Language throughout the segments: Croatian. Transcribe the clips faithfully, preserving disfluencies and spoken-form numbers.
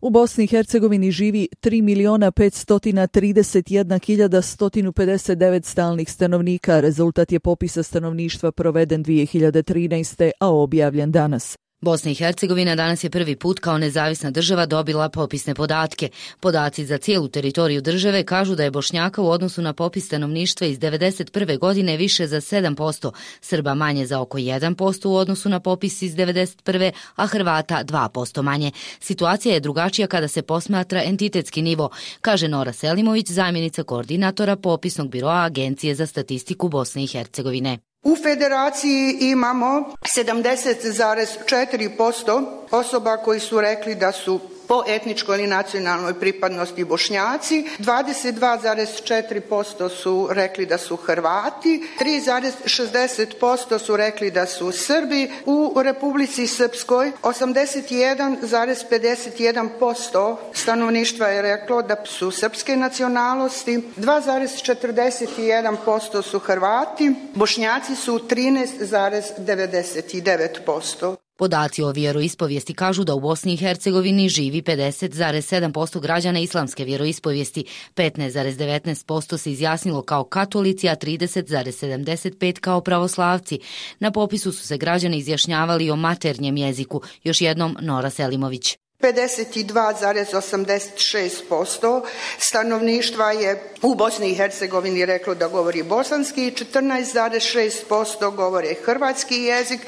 U Bosni i Hercegovini živi tri miliona petsto trideset jedna hiljada sto pedeset devet stalnih stanovnika. Rezultat je popisa stanovništva proveden dvije hiljade trinaeste. a objavljen danas. Bosna i Hercegovina danas je prvi put kao nezavisna država dobila popisne podatke. Podaci za cijelu teritoriju države kažu da je Bošnjaka u odnosu na popis stanovništva iz devedeset prve. godine više za sedam posto, Srba manje za oko jedan posto u odnosu na popis iz devedeset prve. a Hrvata dva posto manje. Situacija je drugačija kada se posmatra entitetski nivo, kaže Nora Selimović, zamjenica koordinatora popisnog biroa Agencije za statistiku Bosne i Hercegovine. U federaciji imamo sedamdeset zarez četiri posto osoba koji su rekli da su po etničkoj ili nacionalnoj pripadnosti Bošnjaci, dvadeset dva zarez četiri posto su rekli da su Hrvati, tri zarez šezdeset posto su rekli da su Srbi. U Republici Srpskoj osamdeset jedan zarez pedeset jedan posto stanovništva je reklo da su srpske nacionalnosti, dva zarez četrdeset jedan posto su Hrvati, Bošnjaci su trinaest zarez devedeset devet posto. Podaci o vjeroispovijesti kažu da u Bosni i Hercegovini živi pedeset zarez sedam posto građana islamske vjeroispovijesti, petnaest zarez devetnaest posto se izjasnilo kao katolici, a trideset zarez sedamdeset pet kao pravoslavci. Na popisu su se građani izjašnjavali o maternjem jeziku, još jednom Nora Selimović. pedeset dva zarez osamdeset šest posto stanovništva je u Bosni i Hercegovini reklo da govori bosanski, četrnaest zarez šest posto govore hrvatski jezik,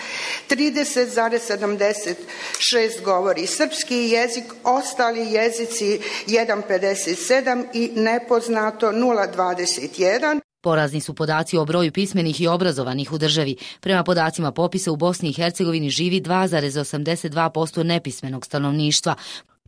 trideset zarez sedamdeset šest govori srpski jezik, ostali jezici jedan zarez pedeset sedam i nepoznato nula zarez dvadeset jedan. Porazni su podaci o broju pismenih i obrazovanih u državi. Prema podacima popisa u Bosni i Hercegovini živi dva zarez osamdeset dva posto nepismenog stanovništva.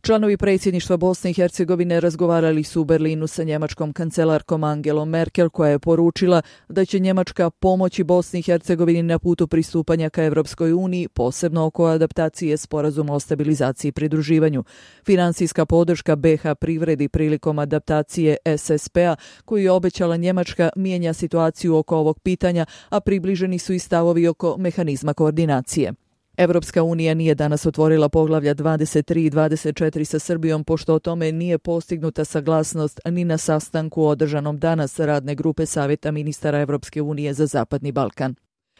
Članovi predsjedništva Bosne i Hercegovine razgovarali su u Berlinu sa njemačkom kancelarkom Angelom Merkel, koja je poručila da će Njemačka pomoći Bosni i Hercegovini na putu pristupanja ka Evropskoj uniji, posebno oko adaptacije sporazuma o stabilizaciji i pridruživanju. Finansijska podrška be ha privredi prilikom adaptacije es es pe-a, koju je obećala Njemačka, mijenja situaciju oko ovog pitanja, a približeni su i stavovi oko mehanizma koordinacije. Evropska unija nije danas otvorila poglavlja dvadeset tri i dvadeset četiri sa Srbijom, pošto o tome nije postignuta saglasnost ni na sastanku održanom danas radne grupe Savjeta ministara Evropske unije za Zapadni Balkan.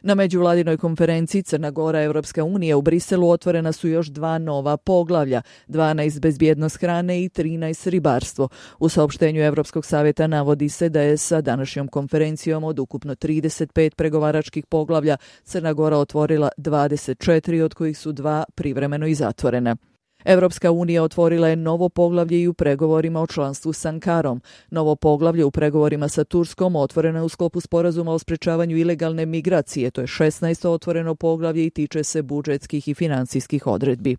Na međuvladinoj konferenciji Crna Gora Evropska unija u Briselu otvorena su još dva nova poglavlja, dvanaest bezbjednost hrane i trinaest ribarstvo. U saopštenju Evropskog savjeta navodi se da je sa današnjom konferencijom od ukupno trideset pet pregovaračkih poglavlja Crna Gora otvorila dvadeset četiri, od kojih su dva privremeno i zatvorena. Evropska unija otvorila je novo poglavlje i u pregovorima o članstvu s Ankarom. Novo poglavlje u pregovorima sa Turskom otvoreno je u sklopu sporazuma o sprečavanju ilegalne migracije, to je šesnaesto otvoreno poglavlje i tiče se budžetskih i financijskih odredbi.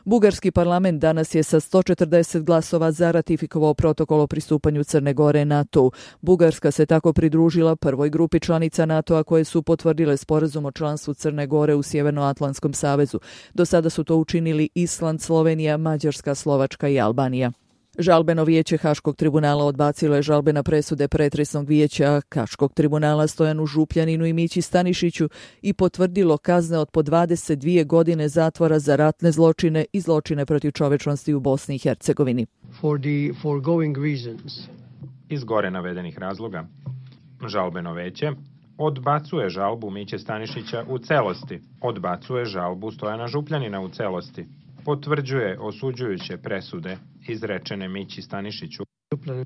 Bugarski parlament danas je sa sto četrdeset glasova za ratifikovao protokol o pristupanju Crne Gore NATO-u. Bugarska se tako pridružila prvoj grupi članica NATO-a koje su potvrdile sporazum o članstvu Crne Gore u Sjevernoatlantskom savezu. Do sada su to učinili Island, Slovenija, Mađarska, Slovačka i Albanija. Žalbeno vijeće Haškog tribunala odbacilo je žalbe na presude pretresnog vijeća Haškog tribunala Stojanu Župljaninu i Mići Stanišiću i potvrdilo kazne od po dvadeset dvije godine zatvora za ratne zločine i zločine protiv čovečnosti u Bosni i Hercegovini. For the foregoing reasons. Iz gore navedenih razloga, žalbeno vijeće odbacuje žalbu Miće Stanišića u celosti, odbacuje žalbu Stojana Župljanina u celosti, potvrđuje osuđujuće presude izrečene Mići Stanišiću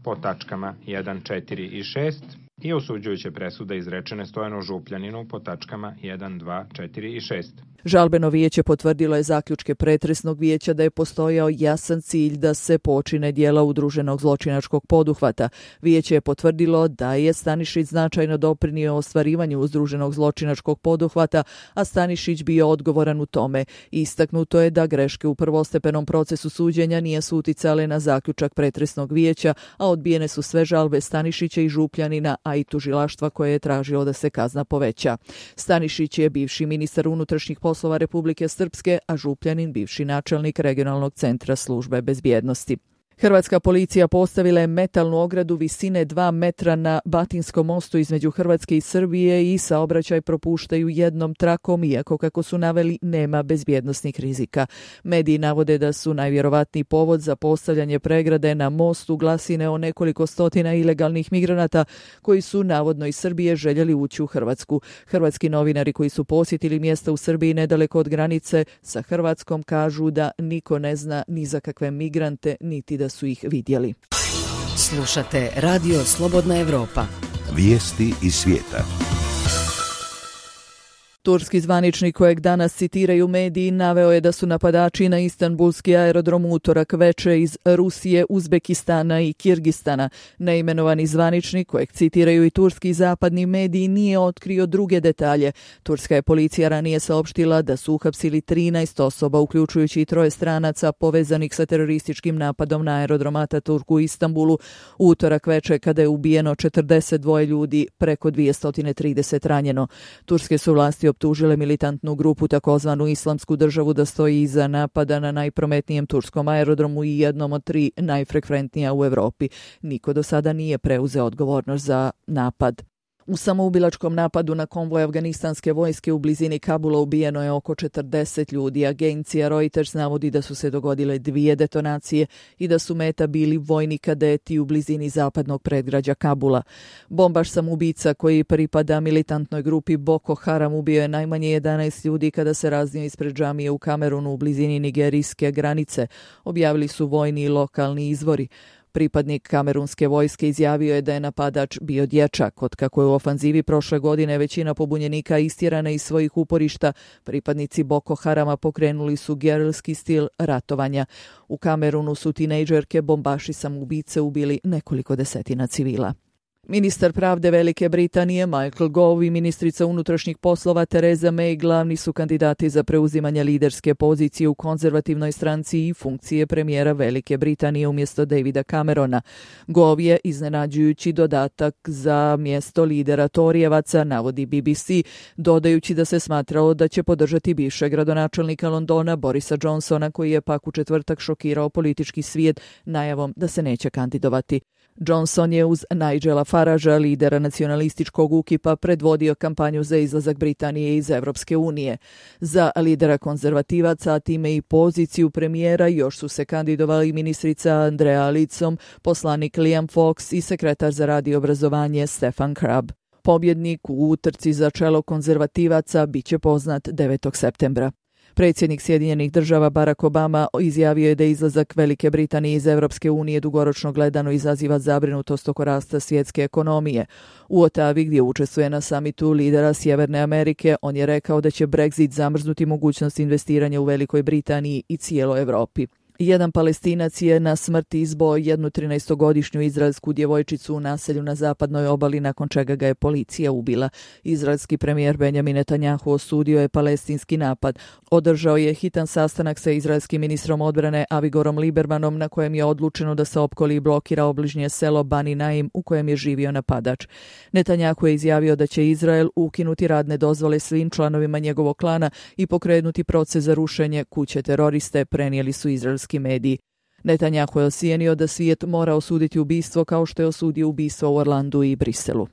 po tačkama jedan, četiri i šest i osuđujuće presude izrečene Stojanu Župljaninu po tačkama jedan, dva, četiri i šest. Žalbeno vijeće potvrdilo je zaključke pretresnog vijeća da je postojao jasan cilj da se počine djela udruženog zločinačkog poduhvata. Vijeće je potvrdilo da je Stanišić značajno doprinio ostvarivanju udruženog zločinačkog poduhvata, a Stanišić bio odgovoran u tome. Istaknuto je da greške u prvostepenom procesu suđenja nisu uticale na zaključak pretresnog vijeća, a odbijene su sve žalbe Stanišića i Župljanina, a i tužilaštva koje je tražilo da se kazna poveća. Stanišić je bivši ministar unutrašnjih poslova Republike Srpske, a Župljanin bivši načelnik regionalnog centra službe bezbjednosti. Hrvatska policija postavila je metalnu ogradu visine dva metra na Batinskom mostu između Hrvatske i Srbije i saobraćaj propuštaju jednom trakom, iako kako su naveli nema bezbjednosnih rizika. Mediji navode da su najvjerovatniji povod za postavljanje pregrade na mostu glasine o nekoliko stotina ilegalnih migranata koji su navodno iz Srbije željeli ući u Hrvatsku. Hrvatski novinari koji su posjetili mjesta u Srbiji nedaleko od granice sa Hrvatskom kažu da niko ne zna ni za kakve migrante, niti da su ih vidjeli. Slušate Radio Slobodna Evropa. Vijesti iz svijeta. Turski zvaničnik kojeg danas citiraju mediji naveo je da su napadači na istanbulski aerodrom utorak veče iz Rusije, Uzbekistana i Kirgistana. Neimenovani zvaničnik kojeg citiraju i turski zapadni mediji nije otkrio druge detalje. Turska je policija ranije saopštila da su uhapsili trinaest osoba, uključujući i troje stranaca povezanih sa terorističkim napadom na aerodrom Ataturk u Istanbulu utorak veče kada je ubijeno četrdeset dva ljudi, preko dvjesto trideset ranjeno. Turske su vlasti optužile militantnu grupu takozvanu Islamsku državu da stoji iza napada na najprometnijem turskom aerodromu i jednom od tri najfrekventnija u Europi. Niko do sada nije preuzeo odgovornost za napad. U samoubilačkom napadu na konvoj afganistanske vojske u blizini Kabula ubijeno je oko četrdeset ljudi. Agencija Reuters navodi da su se dogodile dvije detonacije i da su meta bili vojni kadeti u blizini zapadnog predgrađa Kabula. Bombaš samoubica koji pripada militantnoj grupi Boko Haram ubio je najmanje jedanaest ljudi kada se raznio ispred džamije u Kamerunu u blizini nigerijske granice, objavili su vojni i lokalni izvori. Pripadnik kamerunske vojske izjavio je da je napadač bio dječak. Otkako je u ofanzivi prošle godine većina pobunjenika istjerana iz svojih uporišta, pripadnici Boko Harama pokrenuli su gerilski stil ratovanja. U Kamerunu su tinejdžerke bombaši samoubice ubili nekoliko desetina civila. Ministar pravde Velike Britanije Michael Gove i ministrica unutrašnjih poslova Theresa May glavni su kandidati za preuzimanje liderske pozicije u konzervativnoj stranci i funkcije premijera Velike Britanije umjesto Davida Camerona. Gove je iznenađujući dodatak za mjesto lidera Torijevaca, navodi B B C, dodajući da se smatralo da će podržati bivšeg gradonačelnika Londona Borisa Johnsona, koji je pak u četvrtak šokirao politički svijet najavom da se neće kandidovati. Johnson je uz Nigela Faragea, lidera nacionalističkog ukipa, predvodio kampanju za izlazak Britanije iz Evropske unije. Za lidera konzervativaca, a time i poziciju premijera, još su se kandidovali ministrica Andrea Leadsom, poslanik Liam Fox i sekretar za rad i obrazovanje Stefan Crabb. Pobjednik u utrci za čelo konzervativaca bit će poznat devetog septembra. Predsjednik Sjedinjenih država Barack Obama izjavio je da izlazak Velike Britanije iz Evropske unije dugoročno gledano izaziva zabrinutost oko rasta svjetske ekonomije. U Otavi, gdje učestvuje na samitu lidera Sjeverne Amerike, on je rekao da će Brexit zamrznuti mogućnost investiranja u Velikoj Britaniji i cijeloj Europi. Jedan Palestinac je na smrt izboo jednu trinaestogodišnju izraelsku djevojčicu u naselju na zapadnoj obali, nakon čega ga je policija ubila. Izraelski premijer Benjamin Netanjahu osudio je palestinski napad. Održao je hitan sastanak sa izraelskim ministrom odbrane Avigorom Libermanom, na kojem je odlučeno da se opkoli i blokira obližnje selo Bani Naim u kojem je živio napadač. Netanjahu je izjavio da će Izrael ukinuti radne dozvole svim članovima njegovog klana i pokrenuti proces za rušenje kuće teroriste, prenijeli su izraelski mediji. Netanjahu je ocijenio da svijet mora osuditi ubistvo kao što je osudio ubistvo u Orlandu i Briselu.